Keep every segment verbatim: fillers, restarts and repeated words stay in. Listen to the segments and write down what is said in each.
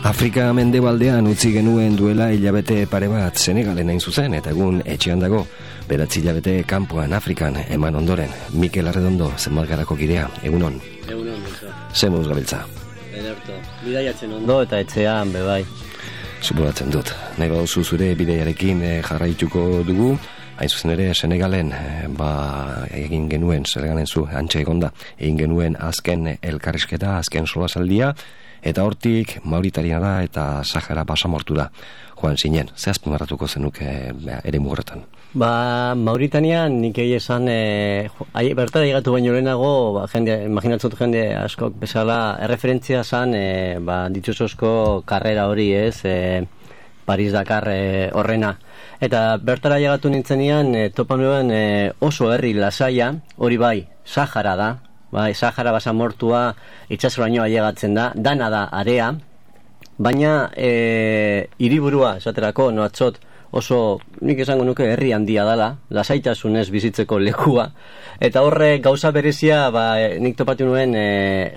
Afrika mendebaldean utzi genuen duela hilabete pare bat Senegalen hain zuzen, eta egun etxean dago, beratzi hilabete kanpoan Afrikan eman ondoren. Mikel Arredondo, zenbalgarako kidea, egunon. Egunon, Mikel. Zer moduz gabiltza? Ederto, bidaiatzen ondo eta etxean, bebai. Suporatzen dut. Nahi baduzu zure bidaiarekin jarraituko dugu, hain zuzen ere Senegalen, ba, egin genuen, Senegalen zu, antxe egonda, egin genuen azken elkarrizketa, azken solasaldia, eta hortik Mauritaniara eta Sahara basamortu da. Joan zinen, ze azpimarratuko zenuke ere mugurretan? Ba, Mauritanian nik egi esan, e, bertara llegatu baino lehenago, ba, jende, imaginatzut jende askok bezala, erreferentzia zan, e, ba, dituzozko karrera hori ez, e, Paris-Dakar e, horrena. Eta bertara llegatu nintzenean, e, topan nuen e, oso herri lasaia, hori bai, Sahara da, bai, Sahara basamortua itsasoraino ailegatzen da, dana da area, baina e, hiriburua esaterako noatzot oso, nik esango nuke herri handia dala, lasaitasunez bizitzeko lekua, eta horre gauza berezia, ba, e, nik topatu nuen e,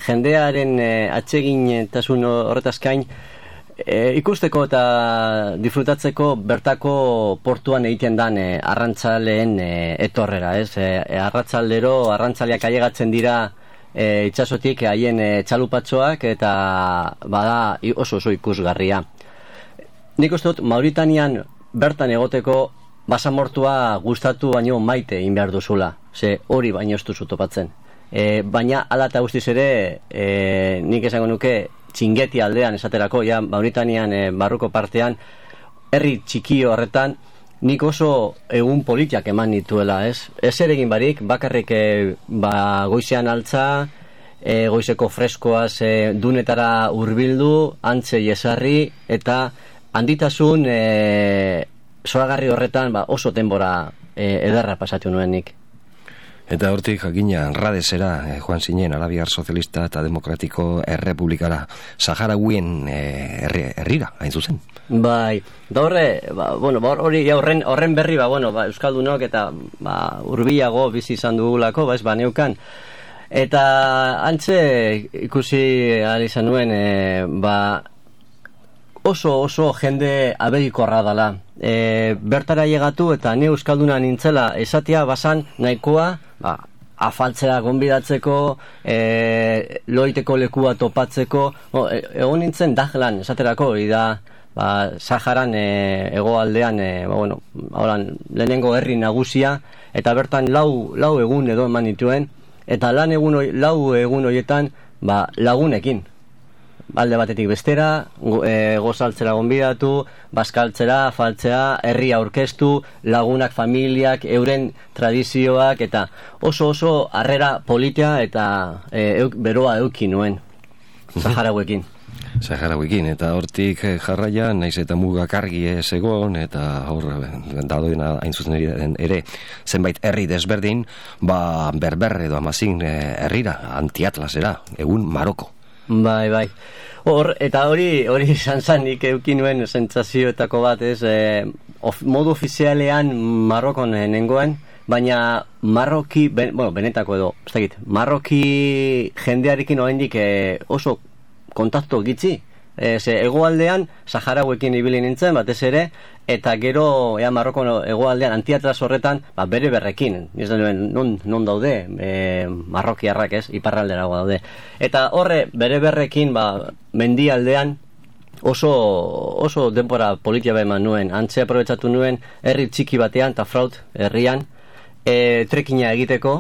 jendearen e, atsegin-tasun horretazkain, e, ikusteko eta disfrutatzeko bertako portuan egiten dan e, arrantzaleen e, etorrera, ez? E, arratzaldero, arrantzaleak ailegatzen dira e, itsasotik haien e, txalupatxoak eta bada oso oso ikusgarria. Nik uste dut Mauritanian bertan egoteko basamortua gustatu baino maite egin behar duzula, ze hori baino ez duzu topatzen. E, baina ala eta guztiz ere, e, nik esango nuke Txingeti aldean esaterako, ja Mauritanian e, barruko partean, herri txiki horretan, nik oso egun politiak eman nituela, ez? Ez ere egin barik, bakarrik e, ba, goizean altza, e, goizeko freskoaz e, dunetara hurbildu, antze jesarri, eta handitasun e, zoragarri horretan ba, oso denbora e, ederra pasatu nuen nik. Eta hortik jakina Radesera eh, joan zinen Arabiar Sozialista eta Demokratiko Errepublikara, Saharauien eh, herrira, hain zuzen. Bai, da horre, ba, bueno, ba, hori horren, horren berri, ba, bueno, ba, Euskaldunok eta ba, urbiago bizi izan dugulako, ba, ez ba, neukan. Eta antze ikusi ahal izan nuen, e, ba, oso oso jende abegikorra dala. E, bertara llegatu eta ni euskalduna nintzela esatia basan nahikoa, ba, afaltzera gonbidatzeko, e, loiteko lekua topatzeko, o, e, egon nintzen dajlan esaterako, da ba, Saharan e, egoaldean, e, ba, bueno, horan, lehenengo herri nagusia, eta bertan lau, lau egun edo eman nituen, eta lan egun, lau egun horietan ba, lagunekin. Alde batetik bestera, e, gozaltzera gonbidatu, bazkaltzera, afaltzea, herria aurkeztu, lagunak, familiak, euren tradizioak, eta oso oso harrera politia eta e, euk, beroa euki nuen, Saharauekin. Saharauekin, eta hortik jarraia, naiz eta mugak argi ez egon, eta hor, dadoena hain zuzen ere, zenbait herri desberdin, ba, berber edo amazin herrira, antiatlasera, egun Maroko. Bai, bai. Hor, eta hori, hori izan zan, nik eukin nuen sentsazioetako bat, ez, e, of, modu ofizialean Marokon nengoen, baina Marroki, ben, bueno, benetako edo, ez dakit, Marroki jendearekin oraindik e, oso kontaktu gitzi. E, ze egoaldean Saharauekin ibili nintzen, batez ere, eta gero ea Marroko egoaldean antiatlas horretan, ba, bere berrekin, ez da nuen, non, non daude, e, marrokiarrak ez, iparralderago daude. Eta horre, bere berrekin, ba, mendialdean, oso, oso denbora politia eman nuen, antze aprobetsatu nuen, herri txiki batean, eta fraut, herrian, e, trekina egiteko,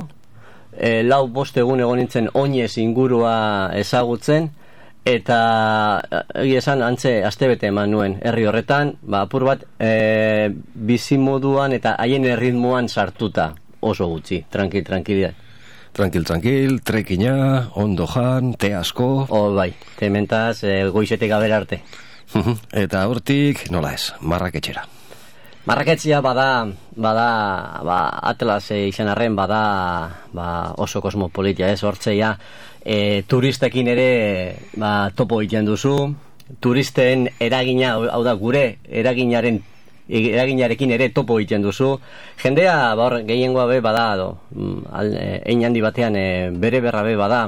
e, lau bost egun egon nintzen oinez ingurua ezagutzen, eta egia esan antze astebete eman nuen herri horretan, ba, apur bat e, bizimoduan eta haien erritmoan sartuta, oso gutxi, tranquil, tranquilidad. Tranquil, tranquil, trekina, ondo jan, te asko. Oh, bai, tementaz e, goizetek gaber arte. Eta hortik, nola ez, Marraketxera. Marraketxea bada, bada, ba, Atlas e, izan arren bada ba, oso kosmopolitia, ez, hortzeia, e, turistekin ere ba, topo egiten duzu, turisten eragina, hau da, gure eraginaren eraginarekin ere topo egiten duzu. Jendea, ba, gehiengoa be bada, do, ein handi batean e, bere berra be bada,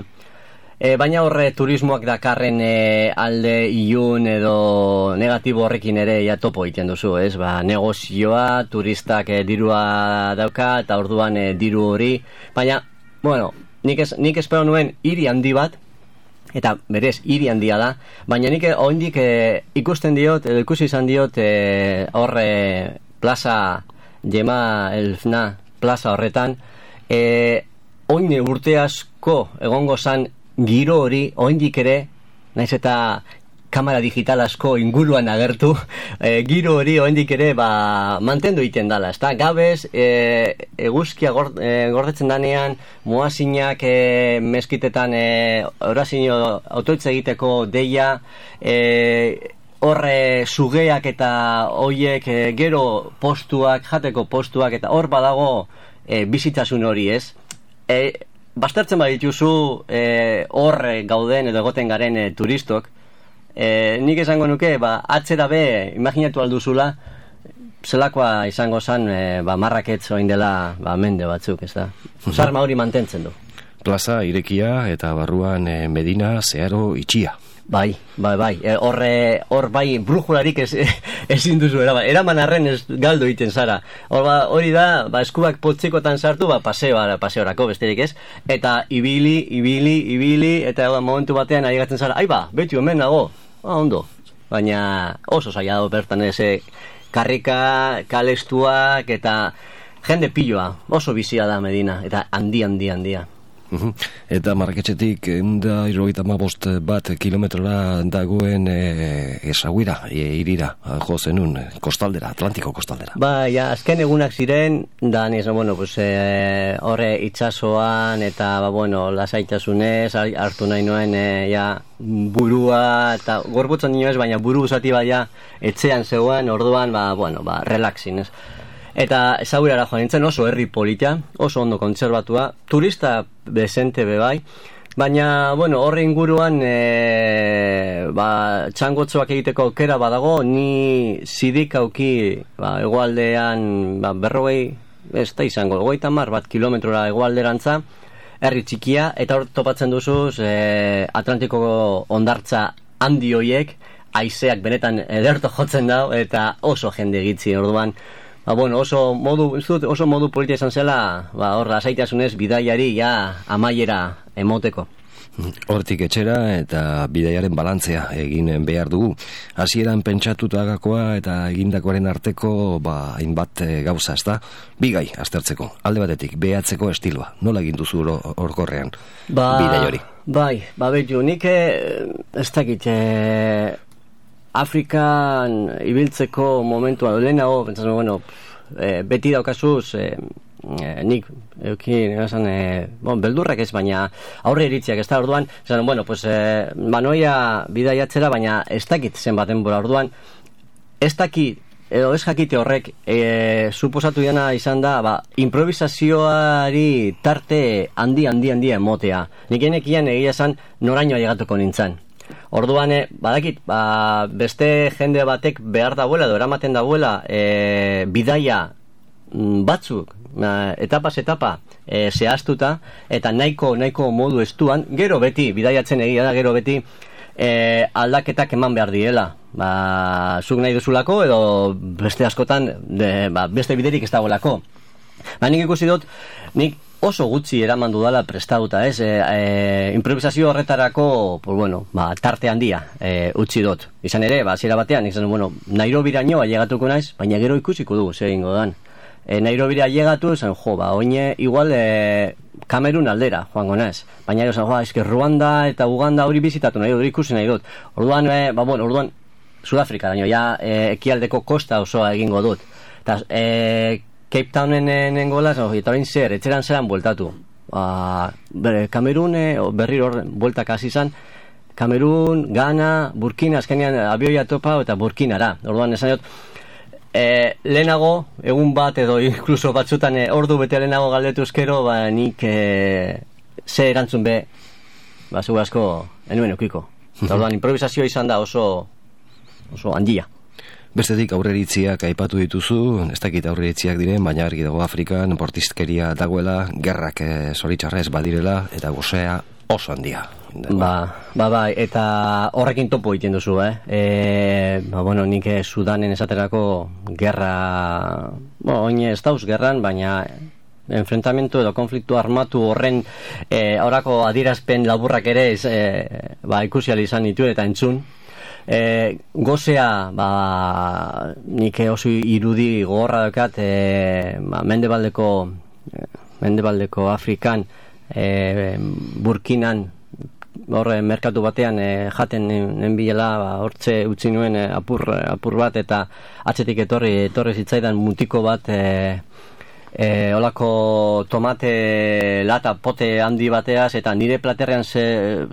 E, baina horre turismoak dakarren e, alde ilun edo negatibo horrekin ere ja topo egiten duzu, ez? Ba, negozioa, turistak e, dirua dauka eta orduan e, diru hori, baina, bueno, nik, ez, nik espero nuen hiri handi bat, eta berez hiri handia da, baina nik oraindik e, ikusten diot, edo ikusi izan diot e, horre plaza Jema Elfna plaza horretan, e, oine urte asko egongo zan giro hori, oraindik ere, naiz eta kamera digital asko inguruan agertu, e, giro hori oraindik ere ba, mantendu egiten dala, ezta? Gabez, e, eguzkia gord, e, gordetzen danean, muazinak e, meskitetan e, orazio autoitza egiteko deia, e, horre sugeak eta hoiek e, gero postuak, jateko postuak, eta hor badago e, bizitasun hori, ez? E, Bastertzen badituzu e, horre gauden edo egoten garen e, turistok, e, nik esango nuke, ba, atzera be, imaginatu alduzula, zelakoa izango zan, e, ba, marraketz oin dela ba, mende batzuk, ez da? Zarma hori mantentzen du. Plaza irekia eta barruan e, Medina zeharo itxia. Bai, bai, bai, e, horre, hor bai, brujularik ez, ezin duzu eraman, eraman arren ez galdo egiten zara. Hor ba, hori da, ba, eskuak potzikotan sartu, ba, paseoa, paseorako besterik ez, eta ibili, ibili, ibili, eta ba, momentu batean aigatzen zara, ai ba, beti omen nago, ba, ondo, baina oso zaila dago bertan ez, karrika, kalestuak, eta jende piloa, oso bizia da Medina, eta handi, handi, handia. Eta Marraketxetik eunda hirurogeita hamabost bat kilometrora dagoen e, esaguira, e, irira, jo zenun, kostaldera, Atlantiko kostaldera. Ba, ja, azken egunak ziren, da, niz, bueno, pues, e, horre itxasoan, eta, ba, bueno, lasaitasunez, hartu nahi nuen, e, ja, burua, eta gorputzen nioez, baina buru zati baina etxean zegoen, orduan, ba, bueno, ba, relaxin, ez? Eta ezagurara joan nintzen, oso herri polita, oso ondo kontserbatua, turista bezente bebai, baina, bueno, horre inguruan e, ba, txangotzoak egiteko aukera badago, ni zidik auki ba, egoaldean ba, berrogei, ez da izango, goita mar bat kilometrora egoalderantza, herri txikia, eta hor topatzen duzuz e, Atlantiko ondartza handi hoiek, haizeak benetan ederto jotzen dau, eta oso jende egitzi, orduan, ba, bueno, oso modu, oso modu politia izan zela, ba, hor, lasaitasunez bidaiari ja amaiera emoteko. Hortik etxera eta bidaiaren balantzea egin behar dugu. Hasieran pentsatutagakoa eta egindakoaren arteko ba, hainbat gauza, ezta? Bigai aztertzeko, alde batetik, behatzeko estiloa. Nola egin duzu horkorrean ba, bidai hori? Bai, ba, betu, nik ez dakit, e, Afrikan ibiltzeko momentua lehenago, pentsatzen, bueno, e, beti daukazuz, e, e, nik, eukin, esan, e, bon, beldurrak ez, baina aurre iritziak, ez da, orduan, esan, bueno, pues, e, manoia bidaiatzera, baina ez dakit zenbaten bora, orduan, ez dakit, edo ez jakite horrek, e, suposatu dena izan da, ba, improvisazioari tarte handi, handi, handi emotea. Nik enekian egia esan, noraino ailegatuko nintzen. Orduan, eh, badakit, ba, beste jende batek behar dagoela, edo eramaten dagoela, e, bidaia batzuk, etapaz etapa, e, zehaztuta, eta nahiko, nahiko modu estuan, gero beti, bidaiatzen egia da, gero beti, e, aldaketak eman behar diela. Ba, zuk nahi duzulako, edo beste askotan, de, ba, beste biderik ez dagoelako. Ba, nik ikusi dut, nik oso gutxi eraman dudala prestauta, ez? E, e, improvisazio horretarako, pues bueno, ba, tarte handia e, utzi dut. Izan ere, ba, zera batean, izan, bueno, Nairobiraino ailegatuko naiz, baina gero ikusiko dugu, zer egingo dan. E, Nairobira ailegatu, izan, jo, ba, oine, igual, e, Kamerun aldera, joango naiz. Baina, izan, jo, eske Ruanda eta Uganda hori bizitatu nahi dut, ikusi nahi dut. Orduan, e, ba, bueno, orduan, Sudafrika daño, ja, e, ekialdeko kosta osoa egingo dut. Eta, e, Cape Townen nengoela, eta horrein zer, etxeran zeran bueltatu. Ba, Kamerun, berriro hor, bueltak hasi izan, Kamerun, Ghana, Burkina, azkenean abioia topa eta Burkinara. Orduan, esan dut, e, lehenago, egun bat edo inkluso batzutan e, ordu bete lehenago galdetu eskero, ba, nik e, ze erantzun be, ba, zego asko, enuen eukiko. Eta orduan, improvisazioa izan da oso, oso handia. Bestetik aurreritziak aipatu dituzu, ez dakit aurreritziak diren, baina argi dago Afrikan, bortizkeria dagoela, gerrak e, zoritxarrez badirela, eta gozea oso handia. Ba, ba, bai, eta horrekin topo egiten duzu, eh? E, ba, bueno, nik Sudanen esaterako gerra, bo, oin ez dauz gerran, baina enfrentamentu edo konfliktu armatu horren e, horako adierazpen laburrak ere ez, e, ba, ikusial izan ditu eta entzun. E, gozea, ba, nik oso irudi gogorra daukat, e, ba, mendebaldeko, mendebaldeko Afrikan, e, Burkinan, horre merkatu batean e, jaten nenbilela, ba, hortze utzi nuen e, apur, apur bat, eta atzetik etorri, etorri zitzaidan mutiko bat, e, e, olako tomate lata pote handi bateaz, eta nire platerrean ze,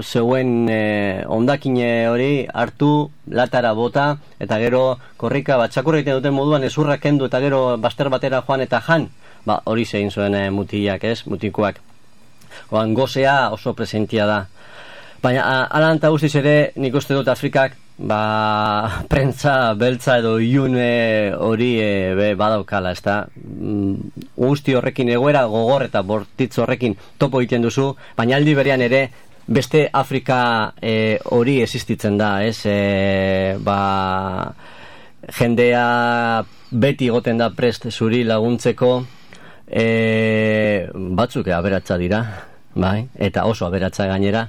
zeuen e, ondakine hori hartu latara bota, eta gero korrika bat txakurra egiten duten moduan ezurra kendu, eta gero baster batera joan eta jan, ba, hori zein zuen e, mutiak, ez, mutikoak. Oan, gozea oso presentia da. Baina, alan eta guztiz ere, nik uste dut Afrikak, ba, prentza, beltza edo iune hori e, be, badaukala, ez da? Mm, guzti horrekin egoera gogor eta bortitz horrekin topo egiten duzu, baina aldi berean ere, beste Afrika e, hori existitzen da, ez? E, ba, jendea beti egoten da prest zuri laguntzeko, e, batzuk aberatsa dira, bai? Eta oso aberatsa gainera,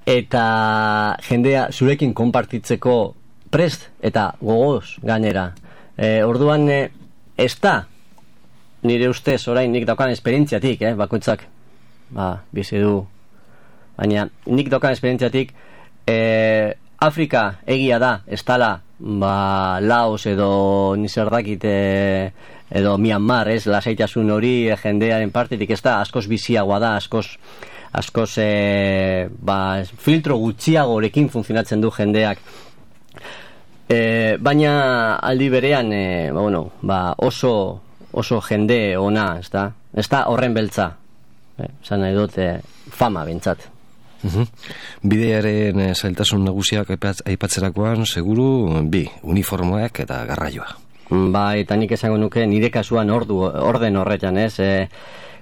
eta jendea zurekin konpartitzeko prest eta gogoz gainera. E, orduan e, ez da nire ustez orain nik daukan esperientziatik, eh, bakoitzak ba, bizi du, baina nik daukan esperientziatik e, Afrika egia da ez dala ba, Laos edo nizerdakit e, edo Myanmar, ez, lasaitasun hori e, jendearen partetik ez da, askoz biziagoa da, askoz askoz e, ba, filtro gutxiagorekin funtzionatzen du jendeak, e, baina aldi berean e, ba, bueno, ba, oso oso jende ona, ez da, ez da horren beltza, e, zan nahi dut e, fama bentsat. Uhum. Bidearen e, zailtasun nagusiak aipatzerakoan seguru bi, uniformoak eta garraioa. Ba, eta nik esango nuke nire kasuan ordu, orden horretan, ez, e,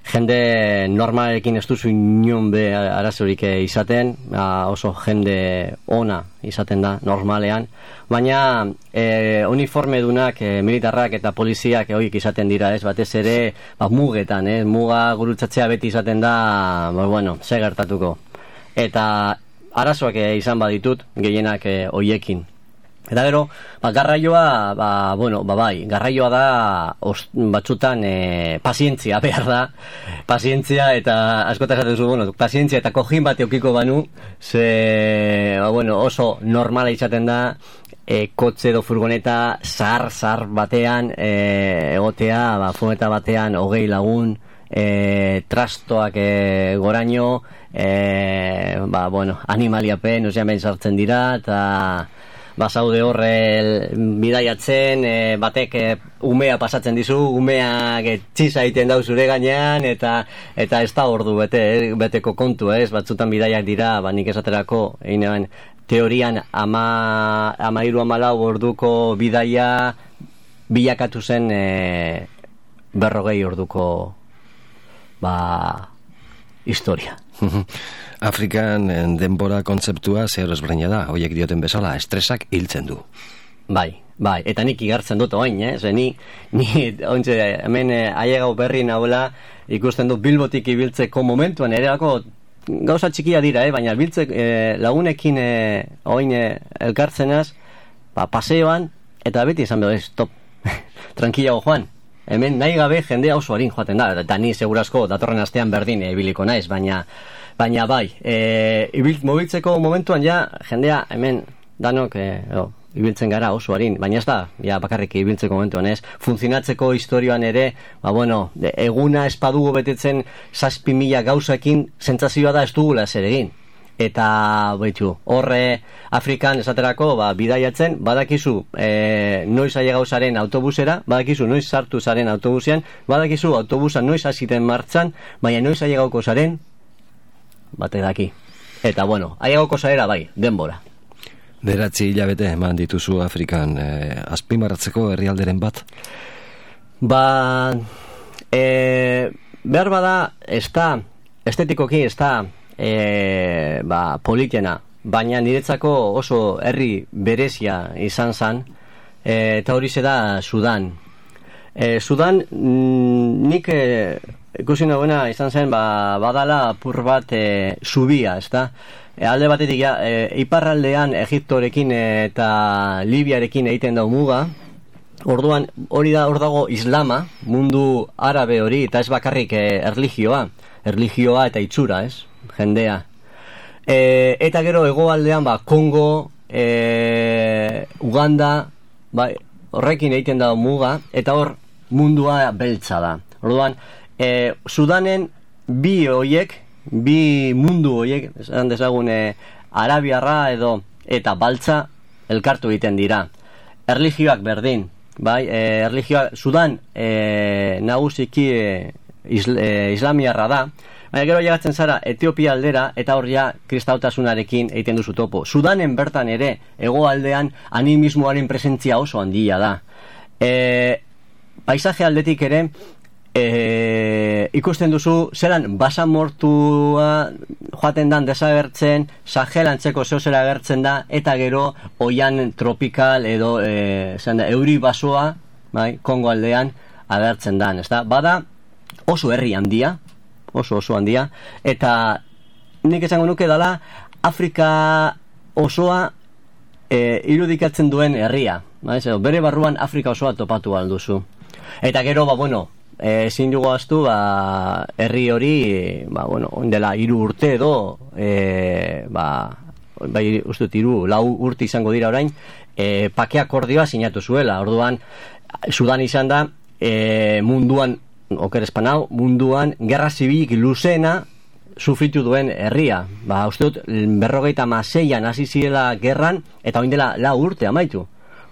jende normalekin ez duzu inon be arazorik izaten, oso jende ona izaten da normalean, baina e, uniformedunak, e, militarrak eta poliziak horiek izaten dira, ez, batez ere ba, mugetan, ez, muga gurutzatzea beti izaten da, ba, bueno, ze gertatuko, eta arazoak e, izan baditut gehienak e, horiekin. Eta gero, ba, garraioa, ba, bueno, ba, bai, garraioa da os, batzutan e, pazientzia behar da, pazientzia eta askota esaten zu, bueno, pazientzia eta kojin bat eukiko banu, ze, ba, bueno, oso normala izaten da, e, kotxe edo furgoneta zahar, zahar batean e, egotea, ba, furgoneta batean hogei lagun, e, trastoak e, goraino, e, ba, bueno, animaliapen, ozean behin sartzen dira, eta basaude horre bidaiatzen, e, batek e, umea pasatzen dizu, umeak txisa egiten dau zure gainean, eta eta ez da ordu bete, eh, beteko kontu, ez, batzutan bidaiak dira, ba, nik esaterako, egin teorian ama, ama iru amalau orduko bidaia bilakatu zen e, berrogei orduko ba, historia. Afrikan denbora kontzeptua zer ezberdina da, horiek dioten bezala, estresak hiltzen du. Bai, bai, eta nik igartzen dut oin, eh? Zer, ni, ni ontsa, hemen eh, aiegau berri nagoela ikusten dut Bilbotik ibiltzeko momentuan, ere lako gauza txikia dira, eh? Baina biltzek eh, lagunekin eh, oin eh, elkartzenaz, ba, paseoan, eta beti esan behar, stop, tranquilago joan. Hemen nahi gabe jendea oso harin joaten da, eta ni segurazko datorren astean berdin ibiliko naiz, baina baina bai, e, ibil, mobiltzeko momentuan ja jendea hemen danok e, o, ibiltzen gara oso harin, baina ez da ja bakarrik ibiltzeko momentuan, ez, funtzionatzeko historioan ere, ba bueno, de, eguna espadugu betetzen zazpi mila gauzakin sentsazioa da ez dugula zer egin. Eta baitu, horre Afrikan esaterako ba, bidaiatzen, badakizu e, noiz ailegau zaren autobusera, badakizu noiz sartu zaren autobusean, badakizu autobusa noiz hasiten martxan, baina noiz ailegauko zaren bate daki. Eta bueno, ailegauko zarera bai, denbora. Beratzi hilabete eman dituzu Afrikan, e, azpimarratzeko herrialderen bat? Ba, e, behar bada, ez da, estetikoki ez da e, ba, politena, baina niretzako oso herri berezia izan zen, e, eta hori da Sudan. E, Sudan, mm, nik e, ikusi nagoena izan zen, ba, badala apur bat e, subia, ez da? E, alde batetik, ja, e, iparraldean Egiptorekin eta Libiarekin egiten dau muga, orduan hori da, hor dago islama, mundu arabe hori, eta ez bakarrik e, erligioa, erligioa eta itxura, ez? Jendea. E, eta gero hegoaldean ba, Kongo, e, Uganda, ba, horrekin egiten da muga, eta hor mundua beltza da. Orduan, e, Sudanen bi hoiek, bi mundu hoiek, esan dezagun e, arabiarra edo eta baltza elkartu egiten dira. Erligioak berdin, bai, e, erligioa Sudan e, nagusiki e, isl, e, islamiarra da. Baina gero llegatzen zara Etiopia aldera eta hor ja kristautasunarekin egiten duzu topo. Sudanen bertan ere hegoaldean animismoaren presentzia oso handia da. E, paisaje aldetik ere e, ikusten duzu zelan basamortua joaten dan desagertzen, Sahel antzeko zeozera agertzen da, eta gero oian tropikal edo e, da, euri basoa, bai, Kongo aldean agertzen dan, ezta? Bada oso herri handia, oso oso handia, eta nik esango nuke dala Afrika osoa e, irudikatzen duen herria, bai? Bere barruan Afrika osoa topatu alduzu. Eta gero, ba, bueno, ezin dugu aztu, ba, herri hori, ba, bueno, ondela hiru urte edo, e, ba, bai, ustut, hiru, lau urte izango dira orain, e, pake akordioa sinatu zuela. Orduan, Sudan izan da, e, munduan, oker espanau, munduan, gerra zibilik luzena sufritu duen herria. Ba, ustut, berrogeita maseian hasi zirela gerran, eta oindela lau urte amaitu.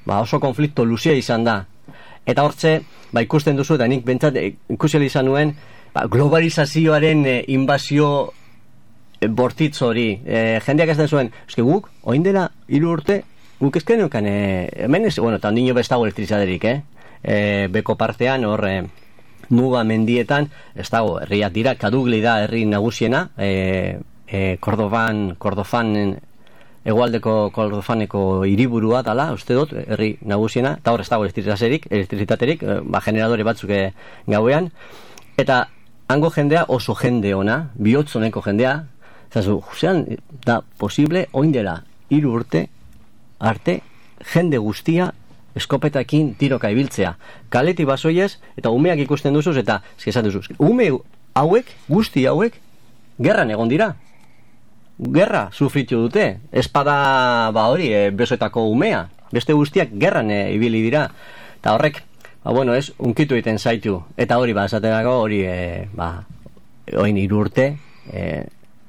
Ba, oso konflikto luzea izan da. Eta hortze, ba, ikusten duzu, eta nik bentsat ikusiali izan nuen, ba, globalizazioaren e, inbazio e, bortitz hori. E, jendeak ez den zuen, eske guk, oin dela hiru urte, guk ezken neukan, e, hemen ez, bueno, eta ondino bestago elektrizaderik, eh? E, beko partean, hor, e, muga mendietan, ez dago, herriak dira, Kadugli da herri nagusiena, e, e, Kordofan, Kordofanen, Egualdeko Kordofaneko hiriburua dala, uste dut, herri nagusiena, eta hor ez dago elektrizitaterik, elektrizitaterik, ba, generadore batzuk gauean, eta hango jendea oso jende ona, bihotzoneko jendea, zazu, zean, da posible, oindela, hiru urte, arte, jende guztia, eskopetakin tiroka ibiltzea. Kaleti basoiez, eta umeak ikusten duzuz, eta eskizat duzuz, ume hauek, guzti hauek, gerran egon dira. Gerra sufritu dute, espada ba hori, e, besoetako umea, beste guztiak gerran e, ibili dira, eta horrek, ba bueno, ez, unkitu egiten zaitu, eta hori, ba, esatenako hori, e, ba, oin hiru urte, e,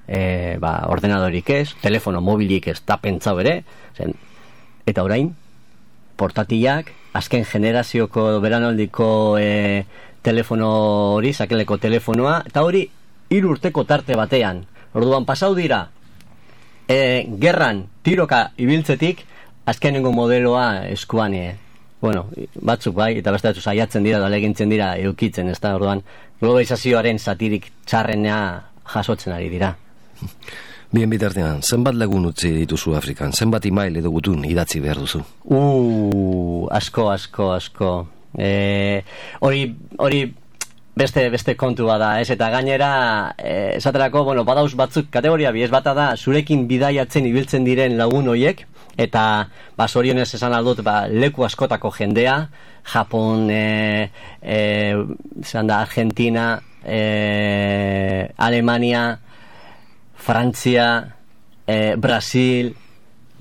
e, ba, ordenadorik ez, telefono mobilik ez da pentsau ere, zen, eta orain, portatilak, azken generazioko beranoldiko e, telefono hori, sakeleko telefonoa, eta hori, hiru urteko tarte batean. Orduan pasau dira e, gerran tiroka ibiltzetik azkenengo modeloa eskuan e, bueno, batzuk bai, eta beste batzuk saiatzen dira da legintzen dira eukitzen, ez da, orduan globalizazioaren satirik txarrena jasotzen ari dira. Bien bitartean, zenbat lagun utzi dituzu Afrikan, zenbat email edo gutun idatzi behar duzu? Uh, asko, asko, asko. E, hori, hori Beste, beste kontua da, ez, eta gainera eh, esaterako, bueno, badauz batzuk kategoria bi, ez bata da, zurekin bidaiatzen ibiltzen diren lagun hoiek, eta, ba, zorionez esan aldut, ba, leku askotako jendea, Japon, e, e, zan da, Argentina, e, Alemania, Frantzia, e, Brasil,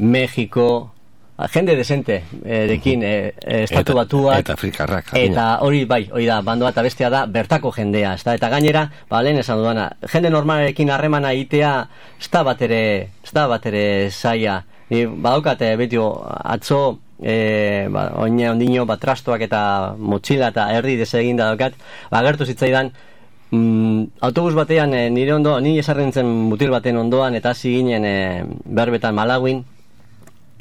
Mexiko, jende desente eh, dekin eh, estatu batuak eta afrikarrak eta hori bai, hori da, bandoa eta bestea da bertako jendea, ez da, eta gainera ba, lehen esan duana, jende normalekin harremana egitea, ez da bat ere ez da bat ere zaila ni badaukate, betio, atzo e, ba, oina ondino ba, trastoak eta motxila eta herri desegin da daukat, ba, agertu zitzaidan mm, autobus batean e, nire ondo, ni esarren zen mutil baten ondoan eta hasi ginen e, berbetan Malawin.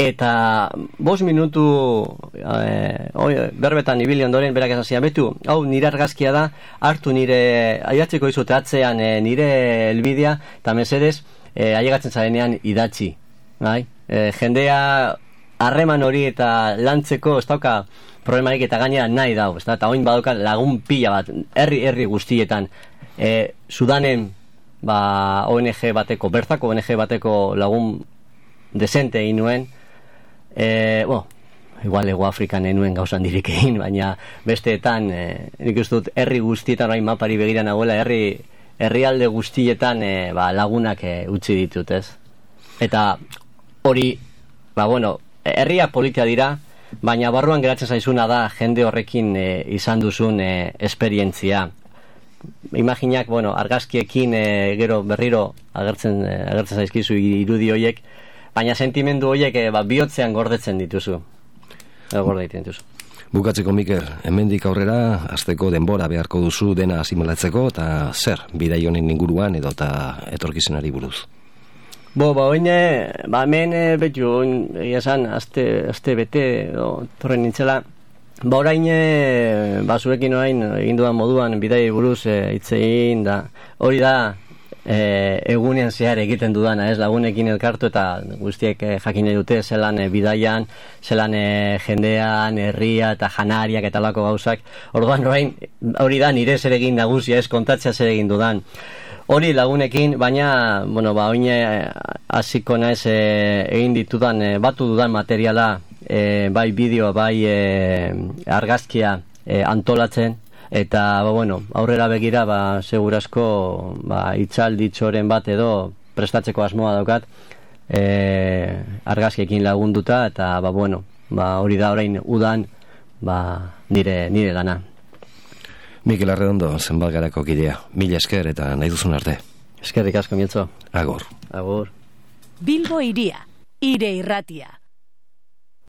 eta bost minutu e, oi, berbetan ibili ondoren berak esan zian, betu, hau nire argazkia da, hartu nire, aidatzeko izute atzean e, nire helbidea, eta mesedez, e, ailegatzen zarenean idatzi, bai? E, jendea harreman hori eta lantzeko ez dauka problemarik eta gainera nahi dau, ez da? Eta oin badauka lagun pila bat, herri herri guztietan, e, Sudanen, ba, O N G bateko, bertako O N G bateko lagun desente egin nuen, e, bo, igual Ego Afrikan enuen gauzan dirik egin, baina besteetan, e, nik uste dut herri guztietan, orain mapari begira nagoela, herri herrialde guztietan e, ba, lagunak e, utzi ditut, ez? Eta hori, ba, bueno, herria politia dira, baina barruan geratzen zaizuna da jende horrekin e, izan duzun e, esperientzia. Imaginak, bueno, argazkiekin e, gero berriro agertzen, e, agertzen zaizkizu irudi horiek, baina sentimendu horiek e, ba, bihotzean gordetzen dituzu. Edo gordeiten dituzu. Bukatzeko, Mikel, hemendik aurrera azteko denbora beharko duzu dena asimilatzeko, eta zer, bidai honen inguruan edo eta etorkizenari buruz? Bo, ba, oine, ba, hemen, e, betu, egia esan, azte, azte bete, o, torren nintzela, ba, orain, e, ba, zurekin orain, egin duan moduan, bidai buruz, e, hitzein, da, hori da, e, egunean zehar egiten dudana, ez, lagunekin elkartu, eta guztiek e, jakin nahi dute, zelan e, bidaian, zelan e, jendean, herria, eta janariak, eta lako gauzak, orduan, orain, hori da, nire zer egin nagusia, ez, kontatzea zer egin dudan. Hori lagunekin, baina, bueno, ba, oine hasiko naiz e, egin ditudan, e, batu dudan materiala, e, bai bideo, bai e, argazkia e, antolatzen, eta, ba, bueno, aurrera begira, ba, segurazko, ba, itzalditxoren bat edo prestatzeko asmoa daukat, e, argazkiekin lagunduta, eta, ba, bueno, ba, hori da orain udan, ba, nire, nire lana. Mikel Arredondo, Zenbalgarako kidea. Mila esker eta nahi duzun arte. Eskerrik asko, Mietzo. Agur. Agur. Bilbo Hiria, Hire Irratia.